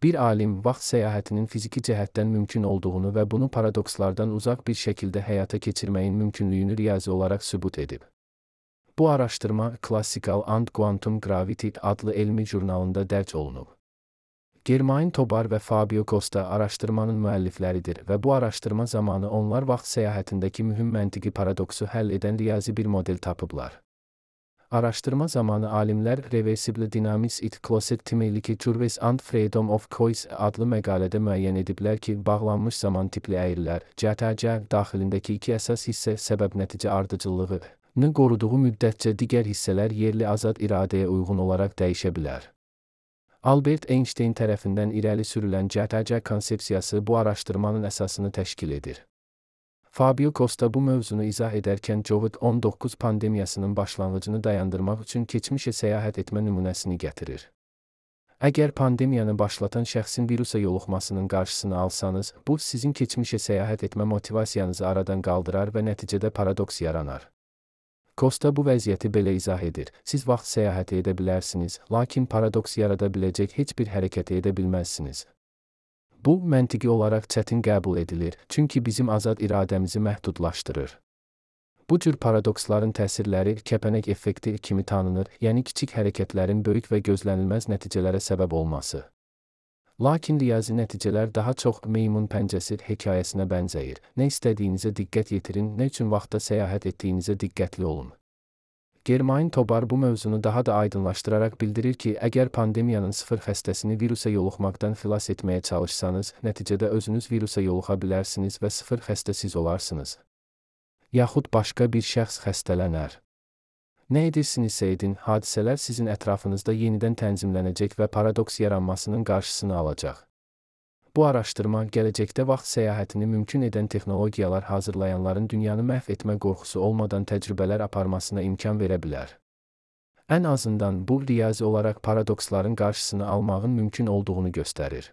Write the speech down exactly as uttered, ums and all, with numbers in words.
Bir alim vaxt səyahətinin fiziki cəhətdən mümkün olduğunu və bunu paradokslardan uzaq bir şəkildə həyata keçirməyin mümkünlüyünü riyazi olaraq sübut edib. Bu araşdırma Classical and Quantum Gravity adlı elmi jurnalında dərc olunub. Germain Tobar və Fabio Costa araşdırmanın müəllifləridir və bu araşdırma zamanı onlar vaxt səyahətindəki mühüm məntiqi paradoksu həll edən riyazi bir model tapıblar. Araşdırma zamanı alimlər Reversible Dynamics it Closet Timelik Curves and Freedom of Choice adlı məqalədə müəyyən ediblər ki, bağlanmış zaman tipli əyrilər, C T C daxilindəki iki əsas hissə səbəb-nəticə ardıcıllığını qoruduğu müddətcə digər hissələr yerli azad iradəyə uyğun olaraq dəyişə bilər. Albert Einstein tərəfindən irəli sürülən C T C konsepsiyası bu araşdırmanın əsasını təşkil edir. Fabio Costa bu mövzunu izah edərkən Covid on doqquz pandemiyasının başlanğıcını dayandırmaq üçün keçmişə səyahət etmə nümunəsini gətirir. Əgər pandemiyanı başlatan şəxsin virusa yoluxmasının qarşısını alsanız, bu sizin keçmişə səyahət etmə motivasiyanızı aradan qaldırar və nəticədə paradoks yaranar. Costa bu vəziyyəti belə izah edir: siz vaxt səyahəti edə bilərsiniz, lakin paradoks yarada biləcək heç bir hərəkəti edə bilməzsiniz. Bu, məntiqi olaraq çətin qəbul edilir, çünki bizim azad iradəmizi məhdudlaşdırır. Bu cür paradoksların təsirləri kəpənək effekti kimi tanınır, yəni kiçik hərəkətlərin böyük və gözlənilməz nəticələrə səbəb olması. Lakin riyazi nəticələr daha çox meymun pəncəsi hekayəsinə bənzəyir. Nə istədiyinizə diqqət yetirin, nə üçün vaxtda səyahət etdiyinizə diqqətli olun. Germain Tobar bu mövzunu daha da aydınlaşdıraraq bildirir ki, əgər pandemiyanın sıfır xəstəsini virusa yoluxmaqdan xilas etməyə çalışsanız, nəticədə özünüz virusa yoluxa bilərsiniz və sıfır xəstə siz olarsınız. Yaxud başqa bir şəxs xəstələnər. Nə edirsinizsə edin, hadisələr sizin ətrafınızda yenidən tənzimlənəcək və paradoks yaranmasının qarşısını alacaq. Bu araşdırma, gələcəkdə vaxt səyahətini mümkün edən texnologiyalar hazırlayanların dünyanı məhv etmə qorxusu olmadan təcrübələr aparmasına imkan verə bilər. Ən azından bu, riyazi olaraq paradoksların qarşısını almağın mümkün olduğunu göstərir.